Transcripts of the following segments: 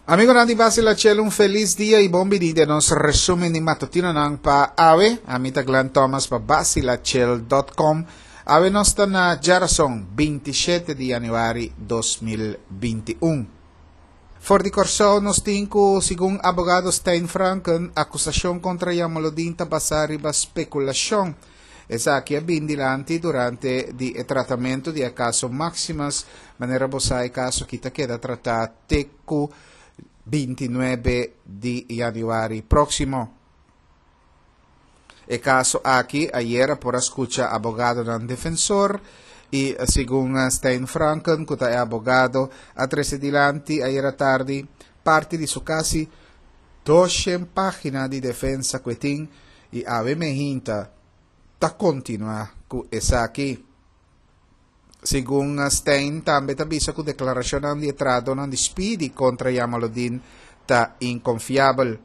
Amigonan di Basila Chel un felis dia y bon bini den nos resumen di matutinonan pa awe. Ami ta Glenn Thomas pa basilachel.com. Awe nos ta na djarason 27 di januari 2021. For di Kòrsou nos tin ku segun abogado Stijn Franken akusashon kontra Jamaloodin ta basá riba spekulashon. Esaki a bin dilanti durante di e tratamentu di e kaso Maximus, manera bo sa e kaso aki ta keda tratá te ku 29 di yanüari próksimo. E kaso aki ayera por a skucha abogadonan defensor i segun Stijn Franken ku ta e abogado a trese dilanti ayera tardi parti di su kasi 200 página di defensa ku e tin i awe mehinta ta kontinuá ku esaki. Segun Stein tambe ta bisa ku deklarashonnan di e trahadónan di Speedy kontra Jamaloodin ta inkonfiabel.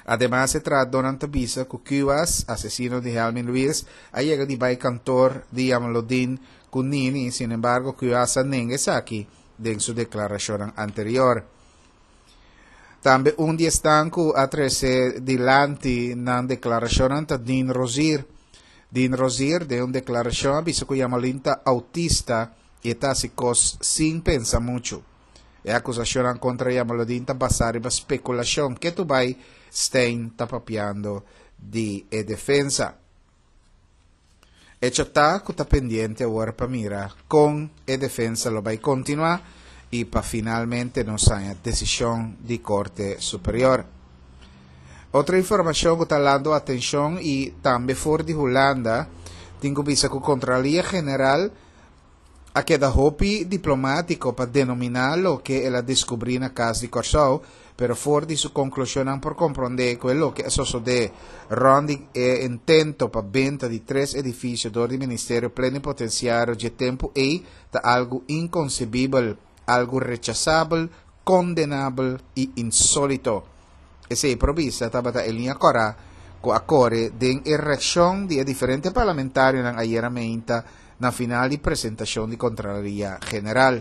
Ademas e trahadónan ta bisa ku Kuwas, asesino di Helmin Luis, a yega di bai kantor di Jamaloodin ku Nini, sinembargo Kuwas a nenga esaki den su deklarashonnan anterior. Tambe un di esnan ku a trese dilanti nan deklarashonnan ta Dean Rozier. Dean Rozier den un deklarashon a bisa ku Jamalin ta autista i e ta hasi kos sin pensa muchu. E akusashonnan kontra Jamaludin ta basá riba spekulashon. Ketu bai Stein ta papiando di e defensa. Echo ta ku ta pendiente awor pa mira kon e defensa lo bai kontinuá i pa finalmente nos haña desishon di Korte Superior. Otro informashon ku ta lando atenshon i tambe for di Hulanda tin ku bisa ku Kontraloria General a keda hopi diplomátiko pa denominá loke el a deskubrí na Kas di Kòrsou, pero for di su konklushonnan por komprondé ku e loke a sosodé rònt di e intento pa benta di tres edifisio dor di Ministerio Plenipotensiario dje tempu ei ta algu inkonsebibel, algu rechasabel, kondenabel i insólito. Esei por bisa tabata e liña kòrá ku a kore den e reakshon di e diferente parlamentarionan ayera meinta na final di presentashon di Kontraloria General.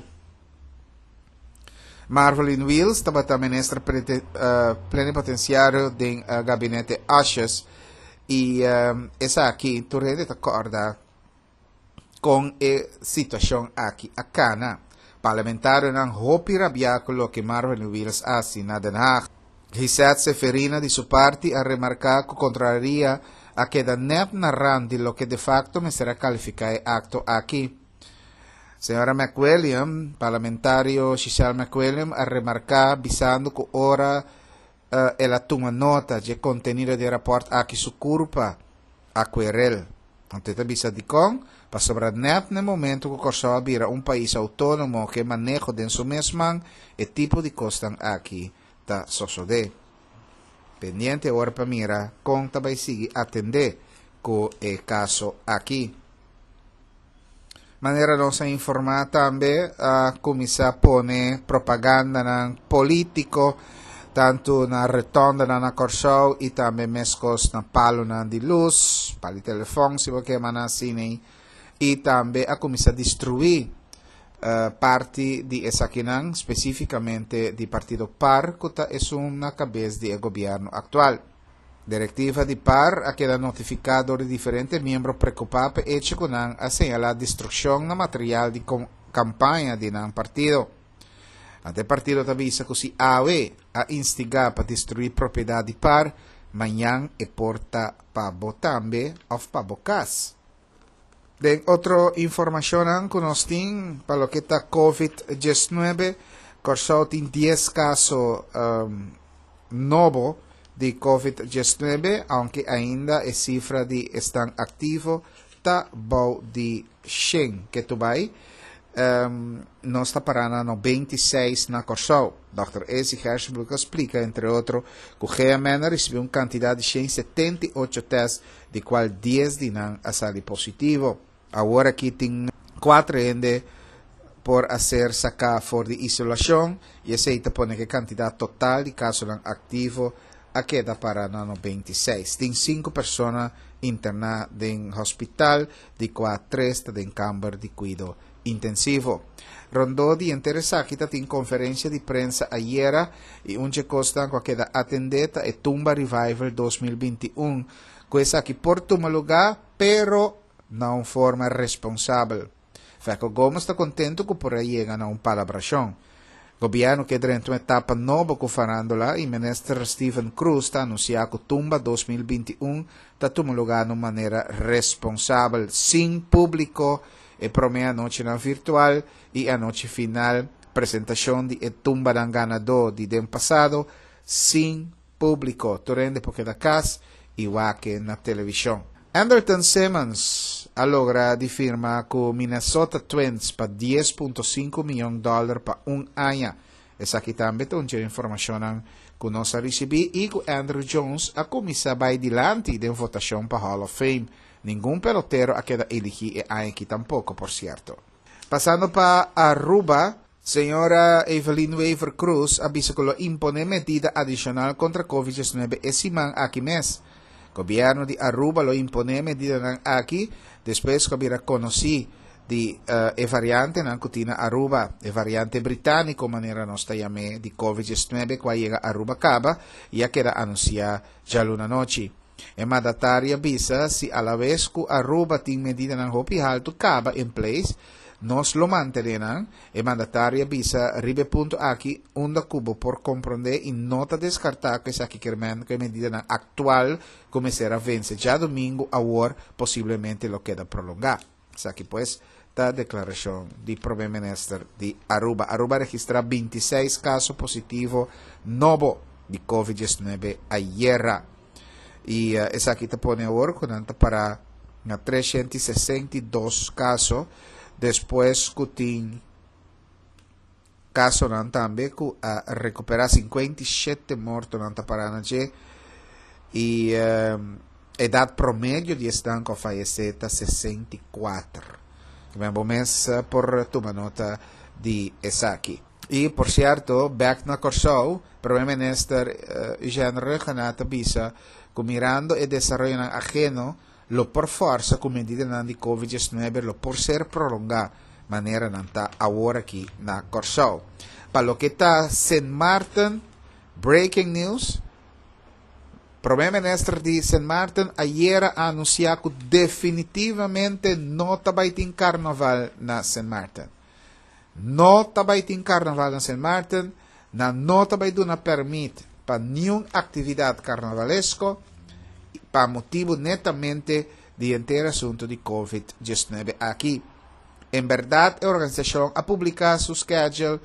Marvelyne Wiels tabata minister plenipotensiario den gabinete Asjes i esaki tur hende ta kòrda kon e situashon aki a kana. Parlamentarionan hopi rabiá ku loke Marvelyne Wiels a hasi na Den Haag. Gisette Seferina di su parti a remarká ku Kontraloria a keda nèt na rand di loke de fakto mester a kalifiká e akto aki. Señora McWilliam, parlamentario Giselle McWilliam a remarká bisando ku ora el a tuma nota dje kontenido di e rapòrt aki su kurpa a kuerel. Anto e ta bisa dikon? Pasobra nèt na e momento ku Kòrsou a bira un pais outónomo ku e maneho den su mes man, e tipo di kosnan aki ta sosodé. Pendiente ora pa mira kon ta bai sigui atendé ku e kaso aki. Manera nos a informá tambe a kuminsá pone propagandanan polítiko tantu na retòndanan na Kòrsou i tambe meskos na palunan di lus, palu di telefòn si bo ke mana asina ei, i tambe a kuminsá destruí parti di esakinan, spesífikamente di partido par ku ta esun na kabes di e gobièrnu aktual. Direktiva di par a keda notifiká dor di diferente miembro prekupá p'e echo ku nan a señalá destrukshon na material di kampaña di nan partido. Ante e partido ta bisa ku si awe a instigá pa destruí propiedat di par, mañan e por ta pa bo tambe òf pa bo kas. Den otro informashonnan ku nos tin pa loke ta Covid 19, Kòrsou tin 10 kaso nobo di Covid 19, aunke ainda e sifra di esnan aktivo ta bou di 100 ke tur bai. Nos ta pará na 96 na Kòrsou. Dòkter Esi Gerstenbluth a splika entre otro ku GMN a risibí un kantidat di 178 tèst di cual dies di nan a sali positivo. Awor aki tin cuatro hende por a ser saca for di isolacion y esey ta pone cu e cantidad total di casonan activo a keda para na 96. Tin cinco persona interna den hospital, di cua tres ta den camber di cuido. Intensivo. Rondó di henter esaki ta tin konferensia di prensa ayera i un dje kosnan ku a keda atendé ta e Tumba Revival 2021, ku esaki por tuma lugá pero na un forma responsabel. Feco Gomez ta kontentu ku por a yega na un palabrashon. Gobièrnu ke drenta un etapa nobo ku farándula i Minister Steven Croes ta anunsiá ku Tumba 2021 ta tuma lugá na un manera responsabel, sin públiko, e promé anochinan virtual i e anochi final, presentashon di e tumbanan ganadó di den pasado, sin públiko. Tur hende por keda kas i wak na televishon. Andrelton Simmons a logra di firma ku Minnesota Twins pa 10.5 mion dòler pa un aña. Esaki tambe ta un dje informashonnan ku nos a risibí i ku Andruw Jones a kuminsá bai dilanti den votashon pa Hall of Fame. Ningun pelotero a keda eligí e aña aki tampoko, por sierto. Pasando pa Aruba, Señora Evelyn Wever Croes a bisa cu lo impone medida adicional contra Covid 19 e siman aki mes. Gobierno di Aruba lo impone medidanan aki despues cu a bira conoci di e variantenan cu tin na Aruba, e variante Britanico manera nos ta yam'e di Covid 19 cu a yega Aruba caba y a keda anuncia djaluna nochi. E mandatario a bisa si alabes cu Aruba tin medidanan hopi halto caba in place, nos lo mantene nan. E mandatario a bisa riba e punto aki unda cu bo por compronde y no ta descarta cu esaki kermen cu e medidanan actual cu mester a vence djadomingo awor posiblemente lo keda prolonga. Esaki pues ta declaracion di Prome Minister di Aruba. Aruba a registra 26 caso positivo nobo di Covid 19 ayera. Y esaki ta pone awor cu nan ta para na 362 caso despues cu tin casonan tambe cu a recupera. 57 mortonan ta para na dje y edad promedio di esnan cu a fayece ta 64. Men bo mes por tuma nota di esaki. Y por cierto, back na Corsou, Prome Minister Eugene Rhuggenaath ta bisa cu mirando e desaroyonan ajeno lo por forsa cu medidanan di Covid 19 lo por ser prolonga manera nan ta awor aki na Corsou. Pa loke ta Sint Maarten, breaking news, Prome Minister di Sint Maarten ayera a anuncia cu definitivamente no ta bay tin carnaval na Sint Maarten. No ta bay tin carnaval na Sint Maarten, nan no ta bay duna permit pa niun actividad carnavalesco pa motibo netamente di henter asunto di Covid 19 aki. En berdad e organisacion a publica su schedule,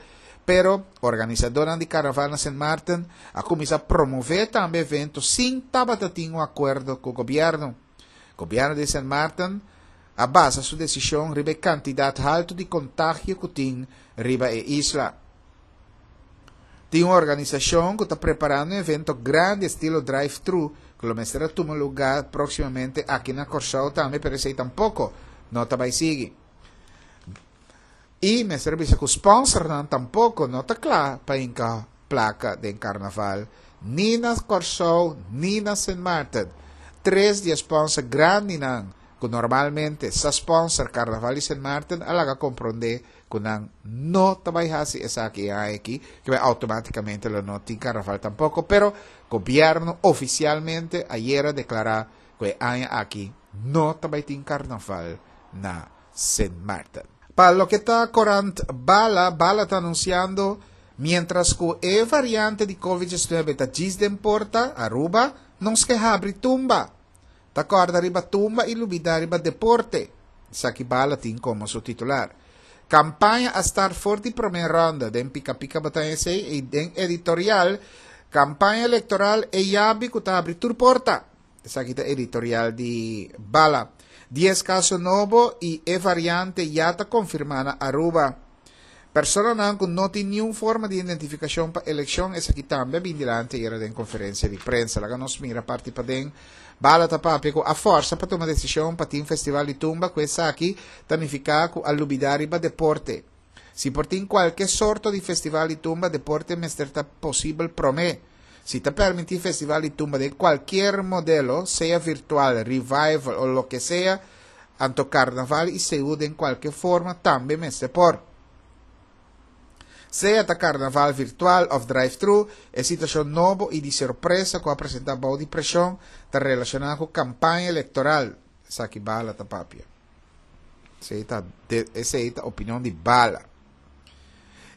pero organisadornan di carnaval na Sint Maarten a cuminsa promove tambe evento sin tabata tin un acuerdo cu gobierno. Gobierno di Sint Maarten a basa su decision riba e cantidad halto di contagio cu tin riba e isla. Tin un organisacion cu ta preparando un evento grandi estilo drive-thru cu lo mester a tuma lugar proximamente aki na Corsou tambe, pero esey tampoco no ta bay sigui. Y mester a bisa cu sponsornan tampoco no ta cla pa hinca placa den carnaval ni na Corsou ni na Sint Maarten. Tres di e sponsor grandinan cu normalmente sa sponsor carnaval di Sint Maarten a laga compronde cu nan no ta bay haci esaki e aña aki, cu bay automaticamente lo no tin carnaval tampoco, pero gobierno oficialmente ayer a declara cu e aña aki no ta bay tin carnaval na Sint Maarten. Pa loke ta corant Bala, Bala ta anunciando mientras cu e variante di Covid 19 ta djis den porta, Aruba, nos ke habri tumba. Ta corda riba tumba y lubida riba deporte. Esaki Bala tin como su titular. Campaña a start for di prome ronda den Pica Pica bo ta esey y den editorial Campaña electoral e yabi cu ta habri tur porta. Esaki ta editorial di Bala. 10 caso nobo y e variante ya ta confirma na Aruba. Personanan cu no tin niun forma di identificacion pa eleccion, esaki tambe a bin dilanti ayera den conferencia di prensa. Laga nos mira parti paden. Bala ta papia cu a forsa pa tuma decision pa tin festival di tumba cu esaki ta nifica cu a lubida riba deporte. Si por tin cualke sorto di festival di tumba, deporte mester ta posibel prome. Si ta permiti festival di tumba den cualkier modelo, sea virtual, revival o loke sea, Anto karnaval i seú den kualke forma tambe mester por. Sea ta karnaval virtual òf drive-thru, e situashon nobo i di sorpresa ku a presentá bou di preshon ta relashoná ku kampaña elektoral, esaki Bala ta papia. Esei ta esei ta opinion di Bala.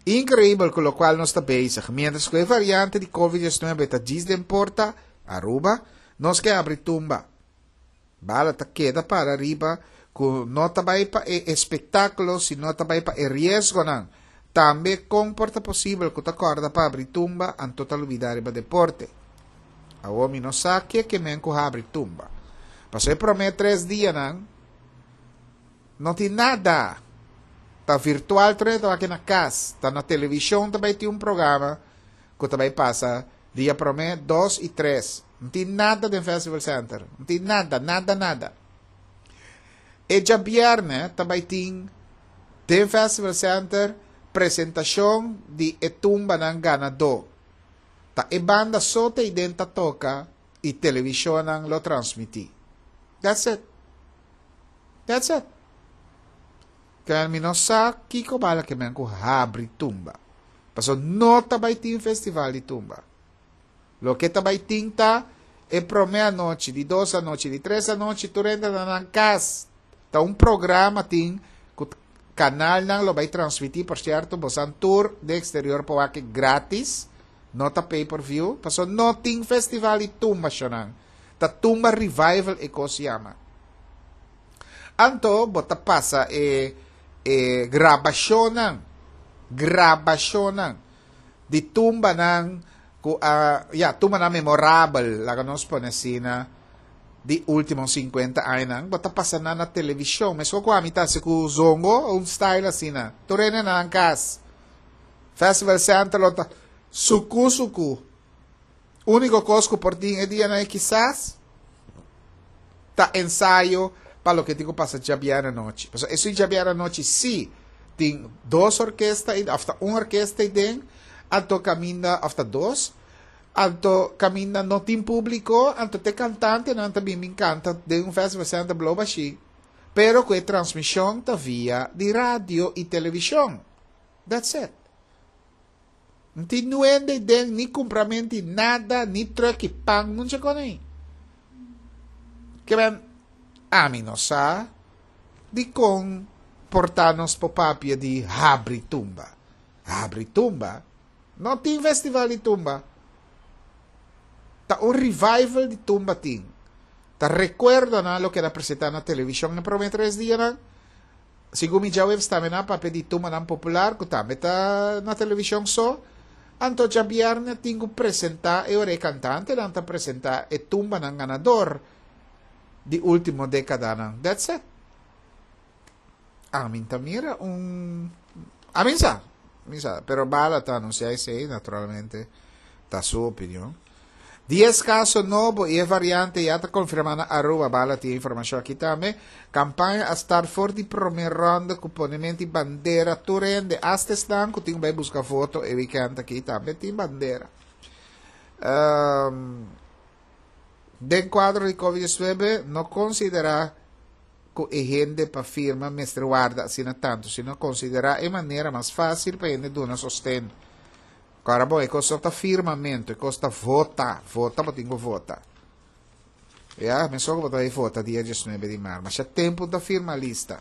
Inkreibel ku lokual nos ta bezig. Miéntras ku e variante di Covid 19 ta djis den porta, Aruba, nos ke abri tumba. Bala ta keda para riba ku no ta bai pa e espektákulo sino ta bai pa e riesgonan. Tambe kon por ta posibel ku ta kòrda pa abri tumba anto ta lubidá riba deporte? Awor mi no sa ke ke men ku habri tumba. Pasobra e promé tres dianan no tin nada. Ta virtual tur hende ta wak na kas. Ta na televishon ta bai tin un programa ku ta bai pasa dia promé, dos i tres. No tin nada den Festival Center. No tin nada, nada, nada. E djabièrnè ta bai tin den Festival Center presentashon di e tumbanan ganadó. Ta e banda so ta iden ta toka i televishonnan lo transmití. That's it. That's it. Kaya mi no sa kiko bala ke men ku habri tumba. Paso no ta bai tin festival di tumba. Loke ta bai tin ta e prome anochi, di dos anochi, di tres anochi tur hende ta na nan kas. Ta un programa tin ku kanalnan lo bai transmití, por sierto bosan tur den eksterior por wak gratis, no ta pay per view, paso no tin festival di tumba shonnan. Ta tumba revival e kos yama. Anto bo ta pasa e e grabashonnan, grabashonnan di tumbanan ku a, ya, tumbanan memorabel, laga nos pone asina, di ultimo 50 añanan, bo ta pasa nan na televishon. Meskos ku ami ta hasi ku Zongo, un style asina. Tur hende na nan kas. Festival Center lo ta suku suku. Úniko kos ku por tin e dianan ei kisas ta ensayo pa loke tin ku pasa djabièrnè anochi. Pasobra esun djabièrnè anochi sí tin dos orkesta òf ta un orkesta ei den, anto kaminda òf ta dos, anto kaminda no tin públiko, anto te kantantenan ta bin bin kanta den un festival center blou bashí, pero ku e transmishon ta via di radio i televishon. That's it. N tin nuende den ni kumpramenti nada, ni truck i pan, nunca kon ei. Ke men, ami no sa dikon por ta nos por papia di habri tumba. Habri tumba? No tin festival di tumba. Ta un revival di tumba tin. Ta rekuerdonan lo keda presentá na televishon e promé tres dianan. Segun mi djaweps tambe nan a papia di tumanan popular ku tambe ta na televishon so. Anto djabièrnè tin ku presentá e ora e kantantenan ta presentá e tumbanan ganador di último dékadanan. That's it. Amin ta mira un Amin sa, mi sa, pero Bala ta anunsiá esei naturalmente ta su opinion. Dies kaso nobo i e variante ya ta konfirmá na Aruba, Bala tin e informashon aki tambe. Kampaña a start for di promé rònde ku ponemento di bandera tur hende, asta esnan ku tin ku bai buska voto e wikènt aki tambe tin bandera. Den kuadro di Covid 19 no konsiderá ku e hende pa firma mester warda asina tantu, sino konsiderá e manera mas fásil pa hende duna sosten. Kòrda bon, e kos no ta firmamentu, e kos ta vota. Vota bo tin ku vota. Ya, mesun ku bo ta bai vota dia diesnuebe di mar. Masha tempu ta firma lista.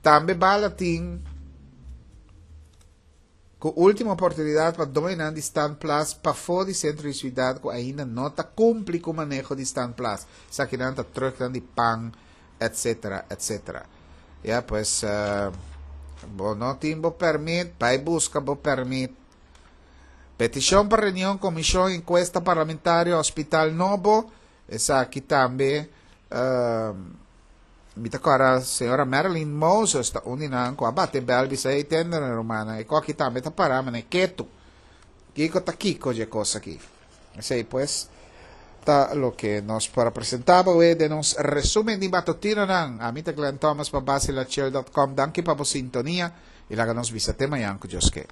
Tambe bala tin ku último oportunidat pa doñonan di standplaats pafó di sentro di siudat ku ainda no ta kumpli ku maneho di standplaats. Esakinan ta trùknan di pan, etcetera, etcetera. Ya, pues, bo no tin bo permit, bai buska bo permit. Petishon pa reunion komishon enkuesta parlamentario hospital nobo, esaki tambe mi ta kòrda señora Marilyn Moses ta un di nan ku a bate bèl bisa hey tende rumannan e kòki tambe ta pará manera ketu. Kiko ta kiko dje kos aki? Esei pues ta loke nos por a presenta bo awe den nos resumen di matutinonan. Ami ta Glenn Thomas pa Basilachel dot com. Danki pa bo sintonia y laga nos bisa te mañan cu Dios ke.